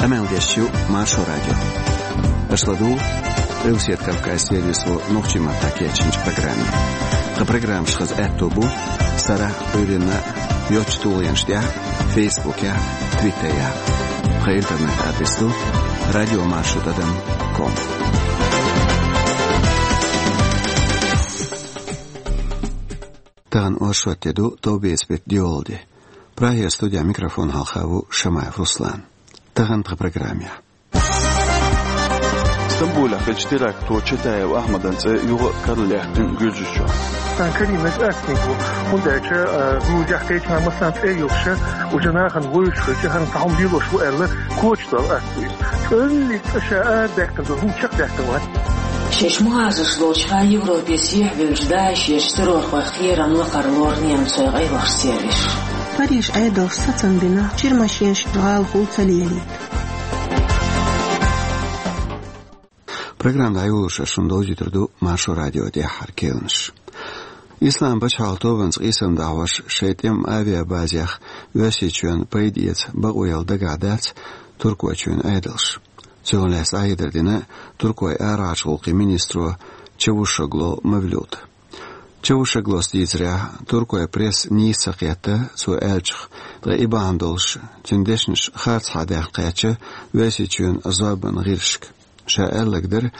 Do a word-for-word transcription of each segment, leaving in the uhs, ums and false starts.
Къамел деш ю Маршо радио. Аша ладугӀу Къилбаседа Кавказан сервисо нохчийн маттахь кечйинчу программе. Тхан программаш хаза аьтто бу сарахь а, Ӏуьйранна а йоцчу тулгӀенаш тӀехь а, Фейсбукехь а, Твиттерехь а. Тхан интернет-адрес ду радиомаршо тӀадам ком. Тахана оршот де ду, товбеца беттан доьалгӀа де. Прагера студехь микрофон хьалха ву Шамаев Руслан. Тахана тхан программехь. Стамбулехь хиллачу теракто Чатаев Ахьмадан цӀе юха а карладаьккхина Гуьржийчохь. Сан карийнарг ас ма ву, хӀунда аьлча, а, Гуьржехь кхечу хенахь массарна цӀе йолуш, уьш нахана вевзаш хилча, хӀара цхьа хӀума лелош ву аьлла, коча долу ас ву иза. ЦӀенна цӀа ша арадаьккхина долу хӀума чекхдаккха вац. Шаьш мухӀажарш долчуха Европе сехьавевллачу ДАИШ-ечу террорхойх кхерам лакхара лору немцойн къайлахчу сервисо. Парижан Ӏедалша сацам бина, чирмашенаш гӀалахула ца лелийта. Программа дӀайолош шуна довзуьйтур ду Маршо радион тӀаьххьара кхаьънаш. Ислам пачхьалкхан тобанца къийсам дӀахьош шайн тӀеман авиабазех Оьрсийчоьнна пайда эца бакъо яла дагахь дац Туркойчоьнан Ӏедалша. Цунах лаьцна дӀахьедар дина Туркойн арахьарчу гӀуллакхийн министро Чавушоглу Мавлюда. Чавушоглус дийцарехь, Туркойн пресса нийса ца кхетта цо аьллачух, ткъа и бахьана долуш, цуьнан дешнаш харцахьа даьхна кхаьчна Оьрсийчоьнан зорбанан гӀирсашка. Ша аьлларг дара,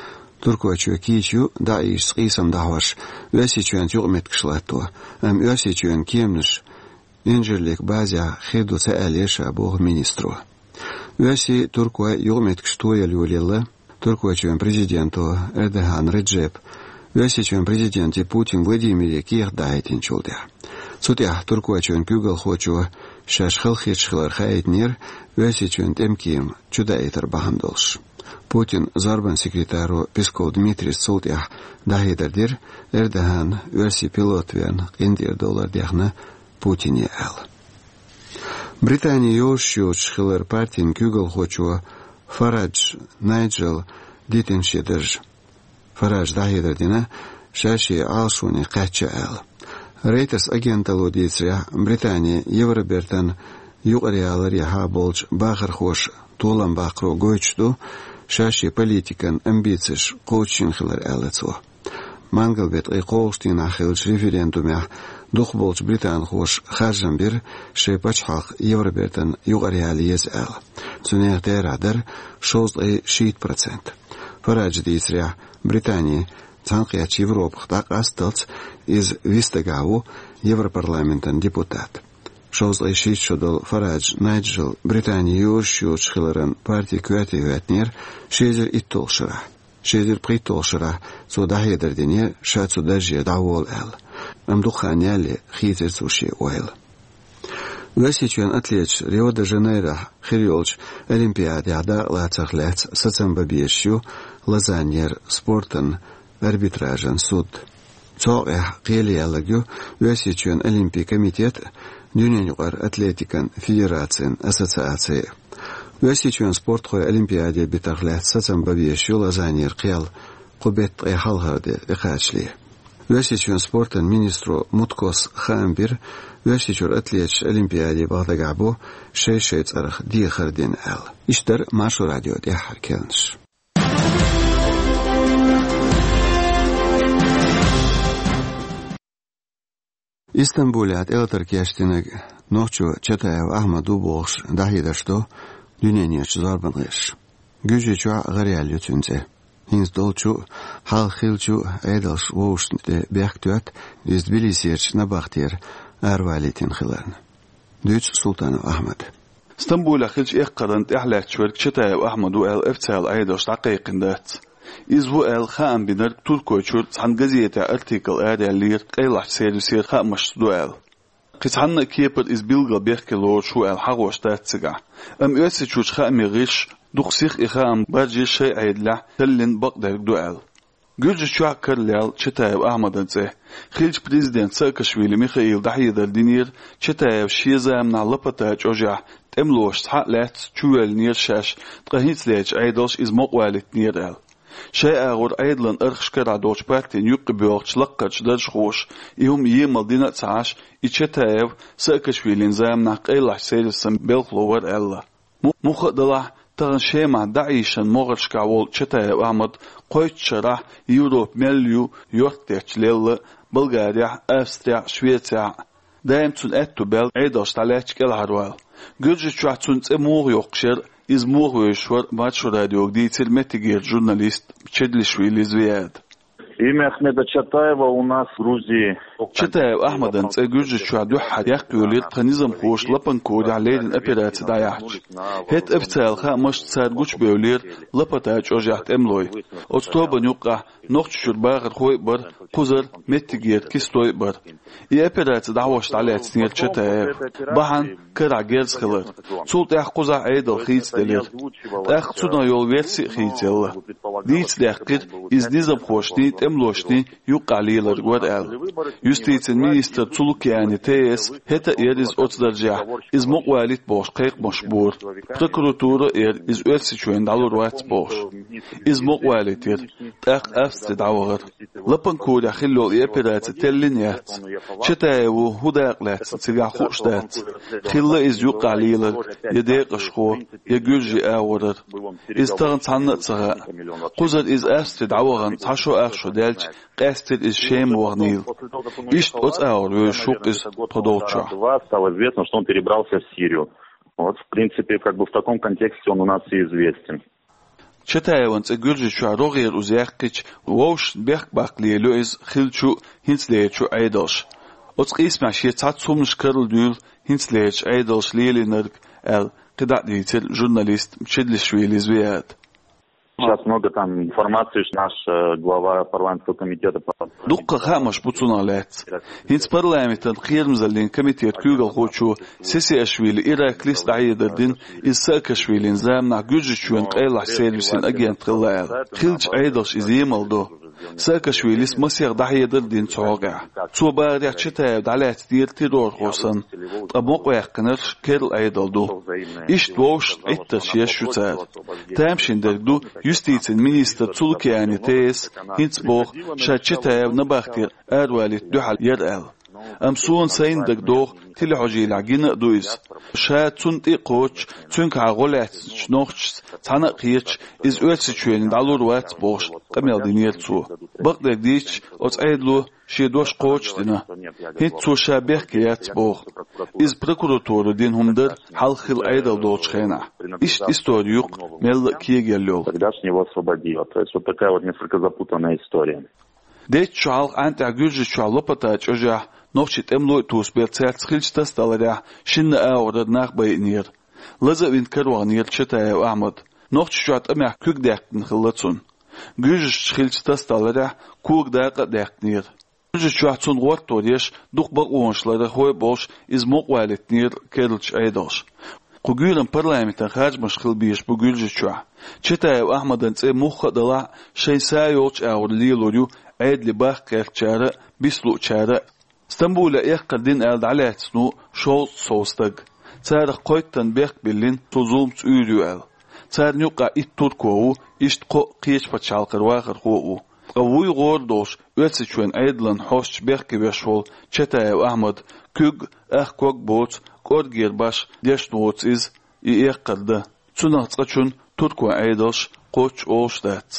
Туркойчоь кийча ю ДАИШ-ца къийсам дӀахьош Оьрсийчоьнца юкъаметтигаш латто, амма Оьрсийчоьнан кеманаш инженерийн базехь хир ду ца аьллера ша, боху министро. Оьрсийн, туркойн юкъаметтигаш тояла йолаелла Туркойчоьнан президенто Эрдоган Реджепа Оьрсийчоьнан президенте Путин Владимире кехат дӀахӀиттинчул тӀаьхьа. Цу тӀехь Туркойчоьнан куьйгалхочо шаьш халахеташ хилар хаийтинера Оьрсийчоьнан тӀеман кема чудаийтар бахьана долуш. Путинан зорбанан секретаро Песков Дмитрийс цул тӀаьхьа дӀахьедар дира, Эрдогана оьрсийн пилот верна къинтӀера довлар дехна Путине аьлла. Британин йозуш йоцуш хиларан партин куьйгалхочо Фарадж Найджела дитина шен дарж. Фараджа дӀахьедар дина, ша шен Ӏалашоне кхаьчна аьлла. Reuters агенталло дийцарехь, Британи Евробертан юкъараларехьа болчу бахархоша толам баккхаро гойтуш ду ша шен политикан амбицеш кхочушйина хилар, аьлла цо. Мангал беттан ткъе кхоалгӀачу дийнахь хиллачу референдумехь дукхахболчу британхоша харжам бира шайн пачхьалкх Евробертан юкъараяла еза аьлла. Цу нехан терахь дара шовзткъе шийтта процент. Фараджа дийцарехь, Британи цхьаьнакхеттачу Европах дӀакъасталц иза вист дагахь ву Европарламентан депутат. Шовзткъе шийтта шо долу Фарадж Найджел Британин йозуш йоцуш хиларан парти коьрте хӀоьттинера ши эзар итталгӀачу шарахь. Ши эзар пхийтталгӀачу шарахь цо дӀахьедар динера, ша цу дарже дӀаволу аьлла. Амма дукха хан ялале хийцира цо шен ойла. Оьрсийчоьнан атлеташ Рио-де-Жанейрохь хир йолчу Олимпиадехь дакъалацарх лаьцна сацам бан безаш ю Лозаннера спортан арбитражан суд. Цу хьокъехь кхеле яьлларг ю Оьрсийчоьнан Олимпийн комитет а, дуьненаюкъара атлетикан федерацин ассоциаци а. Оьрсийчоьнан спортхой Олимпиаде битарх лаьцна сацам бан безаш ю Лозаннера кхел кху беттан ткъе хьалхара де тӀекхачале. Оьрсийчоьнан спортан министро Муткос хаам бира, Оьрсийчуьра атлеташ Олимпиаде баха дагахь бу шай-шайн цӀарах дехар дина аьлла. Иштта дара Маршо радион тӀаьххьара кхаьънаш. Истамбулехь тӀелатар кечдинарг нохчо Чатаев Ахьмад ву бохуш дӀахьедарш до дуьненаюкъарчу зорбанан гӀирсаша. Гуьржийчохь а гӀараяьлла ю цуьнан цӀе. ХӀинца долчу а, хьалха хиллачу а Ӏедалша вовшашна тӀе бехк тоьтту иза Тбилисерчу набахтера аравалийтина хиларна. Дуьйцу Султанов Ахьмада. Стамбулехь хиллачу эккхаран тӀаьхьалаьтташ верг Чатаев Ахьмад ву аьлла официалан Ӏедалша дӀакхайкхийна дац. Иза ву аьлла хаам бинарг Туркойчуьра цхьана газетехь артикл араяллера, къайлахчу сервисера хаамашца ду аьлла. Кхин цхьанна а кепара иза билггал бехке лоруш ву аьлла хьахош дац цигахь. Амма Оьрсийчуьрчу хаамийн гӀирсаша дукха сиха и хаам баржийра шайн Ӏедалехь, таллин бакъдерг ду аьлла. Гуьржийчохь а каралаьлла Чатаев Ахьмадан цӀе. Хиллачу президента Саакашвили Михаила дӀахьедар динера, Чатаев шен заманахь лапата чӀожехь тӀемалошца схьа а лаьцна чувоьллинера шаьш, ткъа хӀинцалерчу Ӏедалша иза мукъавалийтинера аьлла. Шайн агӀор Ӏедалан архаш карахь долчу партийн юккъе боьлхучу лаккхарчу даржхоша и хӀума емал дина а ца Ӏаш, и Чатаев Саакашвилин заманахь къайлахчу сервисан белхало вара аьлла. Му-, муха а далахь, Тахан Шемахь ДАИШ-ан могӀаршкахь волу Чатаев Ахьмад кхойтта шарахь Европа мел ю йорт тетташ лелла Болгарехь, Австрехь, Швецехь. Даим цунна аьтту баьлла Ӏедалш дӀалаьцча кӀелхьарвала. Гуьржийчохь цунна цӀе муха йоккхуш яра, иза муха вевзаш вара, Маршо радиога дийцира меттигерчу журналист Чедлишвили Звияда. Имя Ахмеда Чатаева у нас в Грузии. Чатаев Ахьмадан цӀе Гуьржийчохь дуьххьара яккхийвелира тхан низамхоша Лапанкурехь леррина операци дӀаяьхьча. ХӀетта официалан хаамашца цара гучубевллера Лопота чӀожехь тӀемалой. Оцу тобанна юккъехь Нохчийчуьра бахархой а бара, кхузара меттигера кистой а бара. И операци дӀахьош дӀалаьцнера Чатаев. Бахьана карахь герз хилар. Цул тӀаьхьа кхузахь Ӏедал хийцаделира. ТӀаккха цунах йолу верси а хийцаелла. Дийца даьккхира иза низамхошний, тӀемалошний юккъехь леларг вара аьлла. Юстицин министр Цулукиани Теяс хӀетта а яра иза оцу даржехь, иза мукъавалийта бохуш кхайкхамаш бора. Прокуратура а яра иза Оьрсийчоьнна дӀалур вац бохуш. Иза мукъавалийтира, тӀаккха Австри дӀавахара. Лапанкурехь хилла йолу и операци теллина яц. Чатаева хӀун дакъа лаьцна цигахь хууш дац. Хилла иза юккъехь леларг я декъашхо, я гуьржийн агӀорара. Иза тахана цхьанна а ца хаьа. Кхузара иза Австри дӀавахана цхьа шо ах шо даьлча, къаьстира иза Шема ваханийла. Иштта оцу агӀор вевзаш ву-кх иза тхо долчохь. Стало известно, что он перебрался в Сирию. Вот, в принципе, как бы в таком контексте он у нас и известен. Чатаеван цӀе Гуьржийчохь рогӀера уза яьккхича, вовшашна бехк баккха лелайо иза хиллачу а, хӀинцалерачу а Ӏедалша. Оцу къийсамехь шен цхьацца хӀуманаш карладуьйлу хӀинцалерачу Ӏедалша лелийнарг аьлла, кхидӀа а дийцира журналист Чедлишвили Звияда. Сейчас много там информации, что наш, э, глава парламентского комитета по... Дуккха хаамаш бу цунах лаьцна. ХӀинца парламентан кхерамзаллин комитет куьйгалхочо Сесиашвили Иракли дӀахьедар дина, иза Саакашвилин заманахь Гуьржийчоьнан къайлахчу сервисийн агент хилла аьлла. Хиллачу Ӏедалша иза емал до. Саакашвилис масех дӀахьедар а дина цу хьокъехь. Цо бахарехь, Чатаев дӀалаьцнера террорхо санна, ткъа мукъаваьккхинарш керла Ӏедал ду. Иштта вовшашна Ӏиттарш еш ю цара. Тамашийна дерг ду, юстицин министр Цулукиани Теяс хӀинца боху, ша Чатаев набахтера аравалийта дуьхьал яра аьлла. Амма суна сайна дагадогӀу, телехьожийлехь гина а ду иза. Ша цунна тӀе а кхочуш, цуьнгахьа гӀо лаьцначу нохчашца цхьаьна а кхеташ, иза Оьрсийчоьнна дӀалур вац бохуш, къамел динера цо. Бакъдерг дийцича, оцу Ӏедало шен дош кхочушдина. ХӀинца цо ша бехке яц боху. Иза прокуратуро дина хӀума дара, хьалха хилла Ӏедал долчу хенахь. Иштта истори ю-кх мелла а кегийла йолу. Тогдашнего освободила. То есть вот такая вот несколько запутанная история. Деттачу хьалха ӀантӀехь Гуьржийчохь Лопота чӀожехь нохчийн тӀемалой а тосабелла, цаьрца хиллачу тасадаларехь шинна агӀорара нах байинера. Лаза а вина караваханера Чатаев Ахьмад. Нохчийчохь тӀамехь куьг даьккхина хилла цунна. Гуьржашца хиллачу тасадаларехь кога дакъа а даьккхинера. Гуьржийчохь цунна гӀортор еш, дукха бакъонаш ларъярхой а болуш, иза мукъавалийтинера керлачу Ӏедалша. Кху гуьйранна парламентан харжамаш хила безаш бу Гуьржийчохь. Чатаев Ахьмадан цӀе мухха а далахь а, шайн са йолчу агӀор лелор ю Ӏедале бахка гӀертачара а, бицлуучара а. Стамбулехь эккхар дина аьлла дӀалаьцна ву шовзткъа сов стаг. Царах кхойттанна бехк биллина, цо зуламца уьйр ю аьлла. Царна юккъехь итт турко ву, иштта кхоъ кхечу пачхьалкхара вахархо а ву. Ткъа вуй гӀора долуш, Оьрсийчоьнан Ӏедалан хьосташ бехке веш волу Чатаев Ахьмад куьг а, ах ког а боцу, кӀоргера башха дешна воцу иза, и эккхар дан. Цунах цкъачунна туркойн Ӏедалша кхоччуш олуш дац.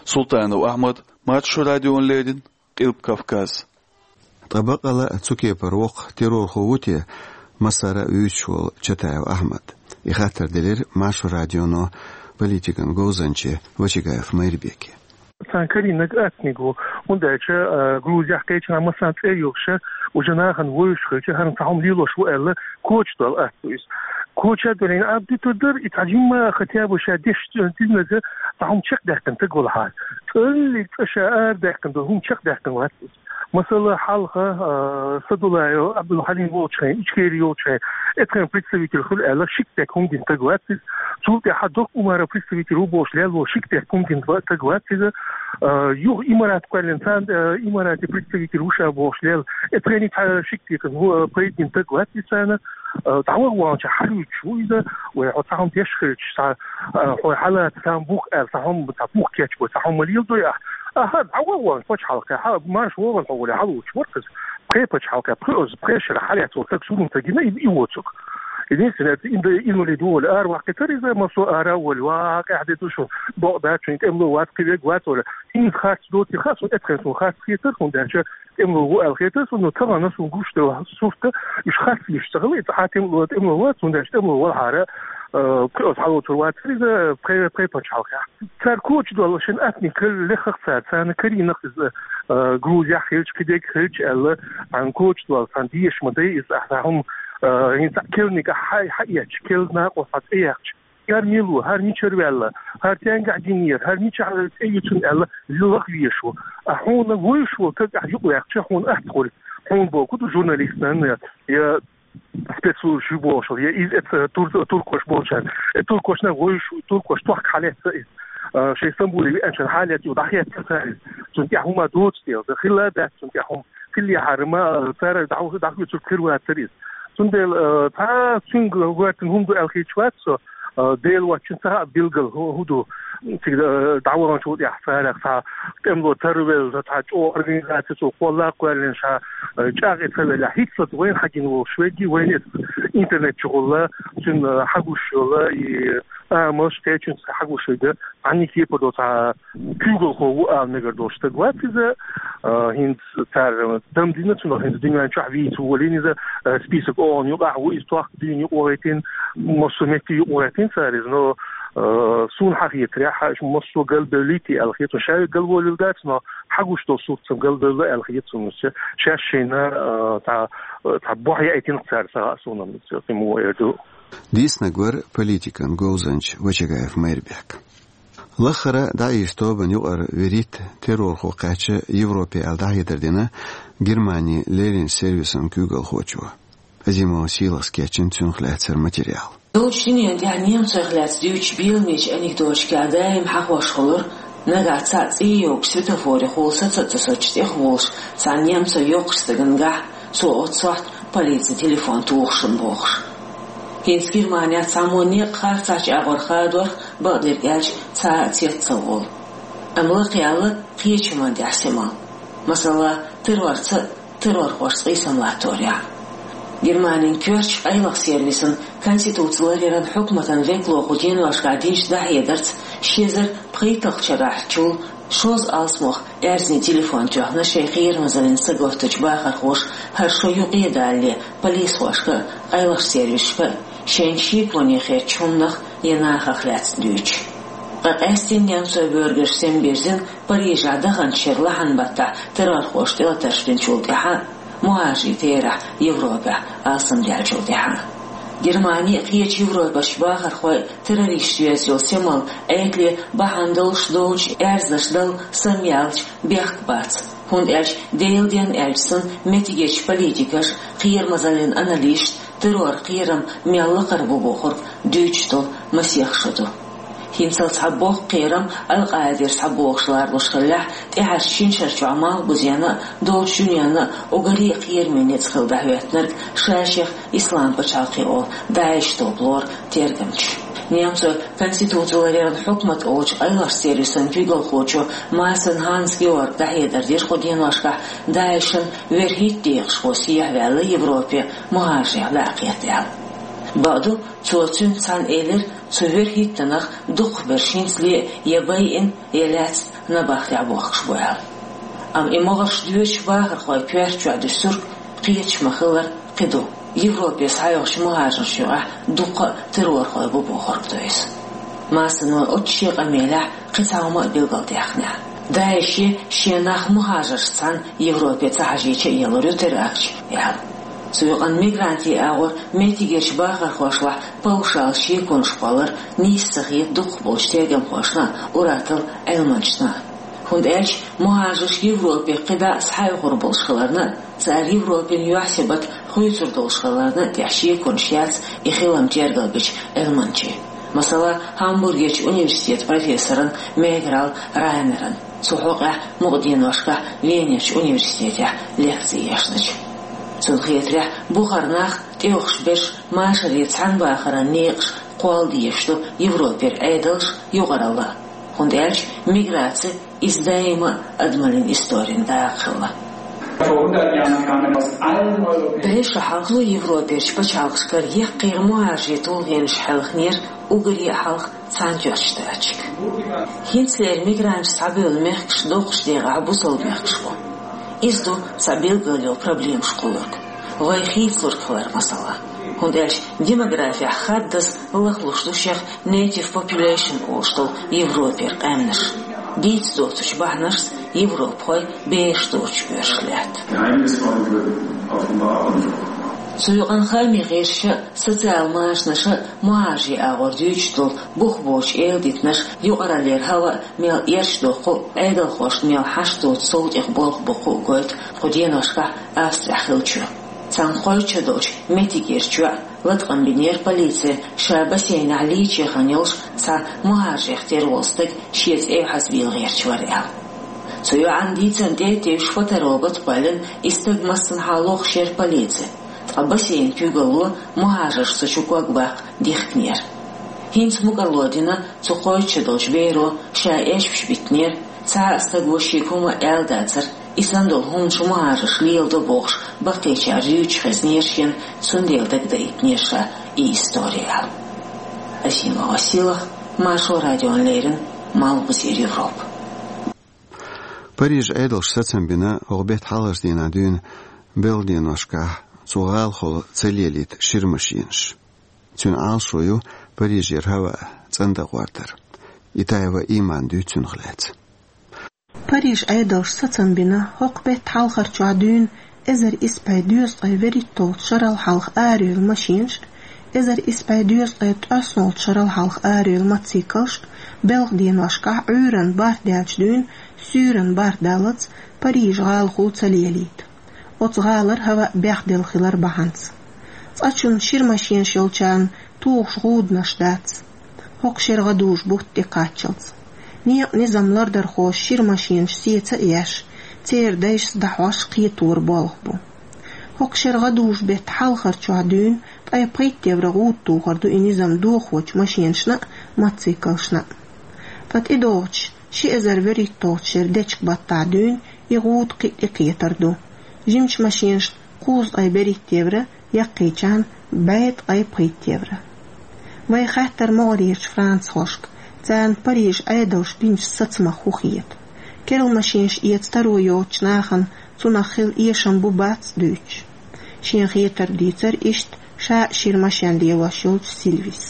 Султанов Ахьмад, Маршо радиона леррина, Къилба Кавказ. Ткъа баккъала а цу кепара воккха террорхо ву те массара а вуьйцуш волу Чатаев Ахьмад? И хаттар делира Маршо радионо политикан говзанче Вачагаев Майрбеке. Царна карийнарг ацниг ву, хӀунда аьлча, а, Грузехь кхечанхьа массарна цӀе йолуш, уже нахана вевзаш хилча, хӀара цхьа хӀума лелош ву аьлла, коча долу ац ву иза. Коча долийна абдиту дар, и цхьа жимма хотя бы ша деш, э, динарг цхьа хӀума чекхдаьккхина стаг валахьара. ЦӀалли цӀа ша арадаьккхина долу хӀума чекхдаьккхина вац иза. Масала, хьалха, а, Садулаев Абдулхьалим волчу хенахь, Ичкери йолчу хенахь, эцхен представитель хуьлу аьлла, ши кепек хӀума дина стаг вац иза. Цул тӀаьхьа Докъ Умаров представитель ву бохуш лелла волу ши кепек хӀума дина стаг вац иза. А, юха Имарат кхоьллина царна, а, Имарате представитель ву ша бохуш лелла, эцхен цхьа ши кепек хӀума, а, пайда дина стаг вац иза царна. А, дӀаваха ваханчохь хьалуьйтуш ву иза, вай хьо цхьа хӀума деш хилча, цхьа, а, хьо хьалаца цхьа хӀума бух аьлла, цхьа хӀума, цхьа бух кечбой, цхьа хӀума леладой ахь. Аха, дӀаваха вахана пачхьалкхе, хьа, марша вогӀийла хьо гуле, хьалуьйтуш вара иза. Пхе пачхьалкхе, пхе оз, пхе шарахь хьалаьцна волу стаг, сурунца гина, и, и воцург. Единственное, это инвалид воли, ара ваккхитар из, массо ара воли, ва, къяхьа де ду шун, бокъ дац шун, тӀемло вац, кхивег вац, ола. ХӀинца харц доти ха, шун эцхен шун харц хетар, хӀун даьча, тӀемло ву аьл хетар, шун, ну, тагана шун гуш де сурта, иш харц иш цагала, это ха тӀемло, тӀемло вац, хӀун даьча, тӀемло вал хара, э, пхи оз хьалоцур вац, из, пхи, пхи пачхьалкхехь. Цар коча дола шин атни кал лехах цар, царна каринах из, э, Грузия хилч, кидек хилч, аьлла, ан коча дола, сан деш ма дай из, ахьа хум, э, хин ца келник а хай, хай яч, кел на къо фат эяч. Яр милу, хар мичар вяла, хар тянга диньер, хар мича хар эйчун аьлла, лилах вешо. А хуна войшо, как а юк вяхча, хун ахт хул. Хун боку журналист, я спецслужбы бошал, я из это тур-, туркош болчан. Э, туркошна войшу, туркош тох халеца из. Э, шей Стамбуле ви анчан халет ю дахет царис. Цун тя хума доц тел, да хила да цун тя хум. Килли харма, э, цара даху, даху цур кирва царис. Цун дел, э, та цун гвартин хум ду алхичват со, э, дел вачин ца билгал ху-, худу. Цигда, э, даван чу я цара ца, тем до тарвел, ца чо организация цу колла квален ша, э, чаги цавела, хитсот вен хагин вол шведи, вен интернет чугула, цун, э, хагушула, и, а, мос течун хагушуга, ани хеподо ца кюгол хову а мегар дошта гватиза, э, хинц цар дам дина цун хинц диньян чах ви цу волиниза, э, список он ю ах ву из тох дин ю ойтин, мосу мети ю ойтин цариз, но, э, сун хахи тряха, мосу галбелити алхиту, шави галболил дац, но хагуш до сурцам галбелла алхиту, ша-, шашина, э, та, э, та бохья этин цар са сунам, тему эрду. Диснагвар политикан говзанч Вачагаев Майрбек. Лахара даиш тобан юкъар верит террорхо кхача Европе ал дахьедар дина Германии лерин сервисан кюгал хочу. Азимо силас кечин цюнх лацар материал. Дочни янди немцоех лац дюч билмич анекдотчка даим хахош холур, нага ца цӀийёг светофоре хул саца цусоч тех волш, ца немцо ёкхш стагангах, цо отсохт полиция телефон тухшун бохш. Хинц Германия ца мо нех харцач агъор хадор, бадир элч ца цец ца вол. Амла къяла кхечуман дяхсима. Масала, террорца террорхош цӀийсамлаторя. Германин кёрч къайлах сервисан конституци лареран хӀукматан веклоху деношка динч дахьедарц шезар пхийталх чарахьчул шоз алсмох эрзни телефон тёхна шей хиермазалин саготтач бахархош хар шо юкъедалле полисхошка, къайлах сервисшка, шен шиконе херч хумнах е нахах лац дюч. Къакъестин немцой бёргаш сен бирзин Парижа даханчер лахьан баттахь террорхош тӀелатарш бинчул тӀаьхьа, мухӀажи терахь Европехь алсам даьлчул тӀаьхьа. Германи кхеча Европаш бахархой террорист везйол семал Ӏетле бахьан долуш долчу аьрзнаш дал самъялч бехк бац, хӀунда аьлча Делан ден аьлча санна меттигечу политикаш, кхерамазаллин аналисташ террор кхерам мел лакхара бу бохург дуьйцуш долу масех шо ду. ХӀинцалц цхьа боккха кхерам Аль-Къаидера схьабогӀуш ларлуш хиллехь, тӀаьхьарчу шин шарчохь Малхбузена а, долчу дуьненна а уггаре а кхераме ницкъ хилла дӀахӀоьттинарг ша-шех Ислам пачхьалкхе олу ДАИШ топ лору тергамча. Немцойн конституци лареран хьукмат олучу къайлахчу сервисан куьйгалхочо Массен Ханс Георг дӀахьедар дира кху деношкахь ДАИШан верхӀитта декъашхо сехьаваьлла Европе мухӀажарех дӀа а кхетта аьлла. Бакъду, цо цуьнца цхьаьна элира, цу верхӀиттанах дукхахберш хӀинцале я байина, я лаьцна набахтехь бохкуш бу аьлла. Амма и могӀарш доьшуш бахархойн коьрта чохь дуьсург кхеташ ма-хиллара кхин ду. Европе схьайогӀучу мухӀажарш юкъахь дуккха а террорхой бу бохург ду иза. Массен оццу шен къамелехь кхин цхьа хӀума а билгалдаьккхинехь. ДАИШе шен нах мухӀажаршца цхьаьна Европе ца хьажийча а елур ю теракташ, аьлла. Цу юкъана мигрантийн агӀор меттигерчу бахархошлахь павшал шеконаш кхоллар нийса ца хета дукхахболчу тергамхошна а, ур-атталла Ӏилманчашна а. ХӀунда аьлча мухӀажарш Европе кхидӀа а схьаоьхур болуш хиларна а, цара Европин юьхь-сибат хуьйцур долуш хиларна а тӀехь шеконаш яц и хилам тергалбечу Ӏилманчин. Масала, Гамбургерчу университетан профессоран Меграл Райнеран. Цу хьокъехь мукъа деношкахь Венерчу университетехь лекци ешначу. Цунна хетарехь, бухара нах, тӀеюхуш берш машаре цхьаьна бахаран некъаш кхолла дезаш ду Европера Ӏедалш, юкъаралла а. ХӀунда аьлча миграци иза даима а адамаллин историн дакъа хилла. Бӏешо хьалха Европерчу пачхьалкхашкара яккхий мухӀажарийн тулгӀенаш хьаьлхинера уггаре а хьалха Цхьаьнатоьхначу Штаташка. ХӀинцалера мигранташ схьабевлла мехкаш доккхачу декъехь бусалба мехкаш бу. Иза ду цхьа билггал йолу проблемаш кхуллург, вай хийцалург хилар, масала. ХӀунда аьлча демографехь хаддаза лахлуш ду шех native population олуш долу Европера къаьмнаш. Дийца доцучу бахьанашца европахой бераш доцуш боьрзуш лаьтта. Цу юкъана хаамийн гӀирсаша а, социал-машанаша а мухӀажарийн агӀор дуьйцуш долу бух боцуш эладитанаш юкъараллера хӀаваъ мел эрча доккху а, Ӏедалхошна мел хьашт доцу сов тӀех болх боккху а гойту кху деношкахь Австрехь хиллачо. Царна кхойтта шо долчу меттигерчу йоӀа латкъам бинера полици ша бассейнехь лийча яхана йолуш цхьа мухӀажарех тера волу стаг шен цӀе хьаьзабийла гӀерташ вара аьлла. Цу йоӀан дийцарна тӀе а тевжаш, фоторобот а кхоьллина, и стаг массанхьа лохуш яра полици, ткъа бассейнан куьйгалло мухӀажарш цу чу ког баккха дихкинера. ХӀинца мукӀарло дина цу кхойтта шо долчу беро ша эшпаш биттинера, цхьа а стага шега хӀума а аьлла дацара, и санна долу хӀуманаш мухӀажарш леладо бохуш, баккхийчара юьйцуш хезнера шена, цундела дагадоуьйтинера ша и истори аьлла. Асима Василах, Маршо радиона леррина, Малхбузера Европа. Парижан Ӏедалша сацам бина хӀокху беттан хьалхарчу дийнахь дуьйна белхан деношкахь цу гӀалахула ца лелийта шира машенаш. Цуьнан Ӏалашо ю Парижера хӀаваъ цӀандан гӀордар. Итаева Имана дуьйцу цунах лаьцна. Парижан Ӏедалша сацам бина хӀокху беттан хьалхарчохь дуьйна эзар исс бӀе дезткъе вуьрхӀитталгӀачу шарал хьалха арайолу машенаш а, эзар исс бӀе дезткъе ткъоьсналгӀачу шарал хьалха арайолу мотоциклаш а, белхан деношкахь Ӏуьйранна барт даьллачу дуьйна суьйранна барт даллалц Парижан гӀалахула ца лелийта. Оцу гӀалара хӀаваъ бехделла хилар бахьанца. Цкъачунна шира машенаш йолчарна тухуш гӀуданаш дац, хӀокху шеран гӀадужу бутт тӀекхаччалц. Некъан низам лардархоша шира машенаш сеца а еш, церан дайшца дӀахьош кхетора болх бу. ХӀокху шеран гӀадужу беттан хьалхарчохь дуьйна ткъе пхийтта евро гӀуда тухур ду и низам дохочу машенашна а, мотоциклашна а. Ткъа тӀедогӀучу ши эзар вуьрхӀитталгӀачу шеран дечиг-баттахь дуьйна и гӀуда кхин а тӀекхетар ду. Жимачу машенашна кхузткъе берхӀитта евро, яккхийчарна бӀе ткъе пхийтта евро. Вай хаьттара могӀарерчу францхошка, царна Парижан Ӏедалша динчу сацамах хӀун хета. Керла машенаш эца таро йоцучу нахана цунах хила эшам бу-бац дуьйцуш. Шен хетарг дийцара иштта ша а шира машен лелош йолчу Сильвис.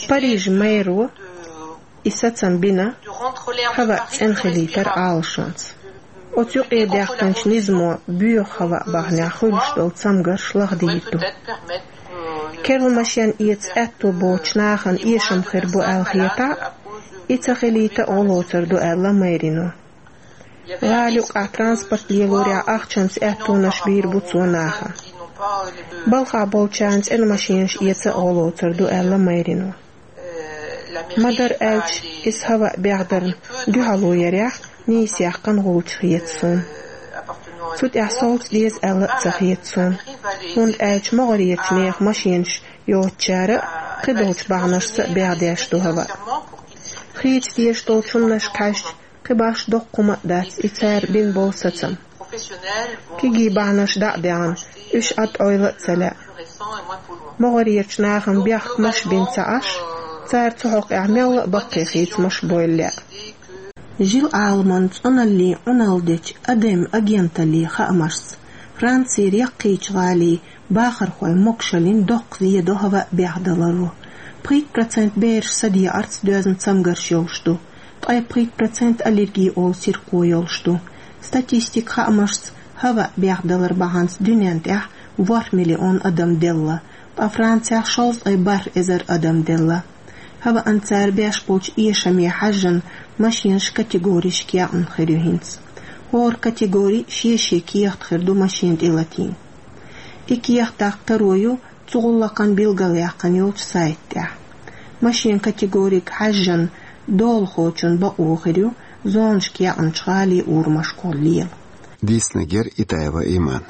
Парижан мэро и сацам бина хӀаваъ цӀена хилийтар Ӏалашонца. Оцу юкъедаьккхинчу низамо боьха хӀаваъ бахьанехь хуьлуш долу цамгарш лахдийр ду. Керла машен эца аьтто боцучу нахана эшам хир бу аьлла хетахь а, и ца хилийта а гӀо лоцур ду аьлла мэрино. ГӀала юкъахь транспорт лелорехь ахчанца аьттонаш бийр бу цо наха. Балхахь болчарна цӀена машенаш эца а гӀо лоцур ду аьлла мэрино. Ма-дарра аьлча, иза хӀаваъ бехдарна дуьхьало ярехь нийса яьккхина гӀулч хета суна. Цу тӀехь совца деза аьлла а ца хета суна, хӀунда аьлча могӀарерчу нехан машенаш йоцучара а, кхидолчу бахьанашца а бехдеш ду хӀаваъ. Хийца дезаш долчу хӀуманашка хьаьжча, кхин башха доккха хӀума а дац и цара бина болу сацам. Кегий бахьанаш дӀа а даьхна, уьш Ӏад Ӏойла а ца лаьа. МогӀарерчу нахана бехк-маш бина ца Ӏаш, цара цу хьокъехь мелла а баккхий хийцамаш бойла лаьа. Жил-Ӏаламан цӀуналлин Ӏуналла дечу Адем агенталлин хаамашца, Францера яккхийчу гӀалин бахархойн могушаллина доккха зен до хӀаваъ бехдаларо. Пхийтта процент бераш садеӀарца доьзна цамгарш йолуш ду. Ткъе пхийтта процент аллерги олу сирхо йолуш ду. Статистикан хаамашца, хӀаваъ бехдалар бахьанца дуьнен тӀехь ворхӀ миллион адам делла, ткъа Францехь шовзткъе бархӀ эзар адам делла. ХӀаваъна цара беш болчу эшаме хьаьжжина машенаш категоришка яьккхина хир ю хӀинца. ХӀора категори шен-шен кехат хир ду машен тӀелатийна. И кехат даккха таро ю цу гӀуллакхан билгалъяьккхина йолчу сайта тӀехь. Машен категорига хьаьжжина долахочун бакъо хир ю зонашка яьккхинчу гӀалин урамашкахула лела. Дийцинарг яра Итаева Иман.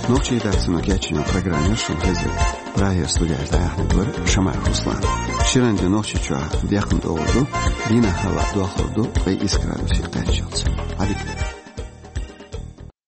Нохчийн редакцино кечйина программа шуна хезира. Прагера студехь дӀаяьхьнарг вара Шамаев Руслан. Ширан де Нохчийчохь декхна догӀур ду, дийнахь хӀаваъ дохлур ду ткъе исс градусе кхаччалц. Ӏадика.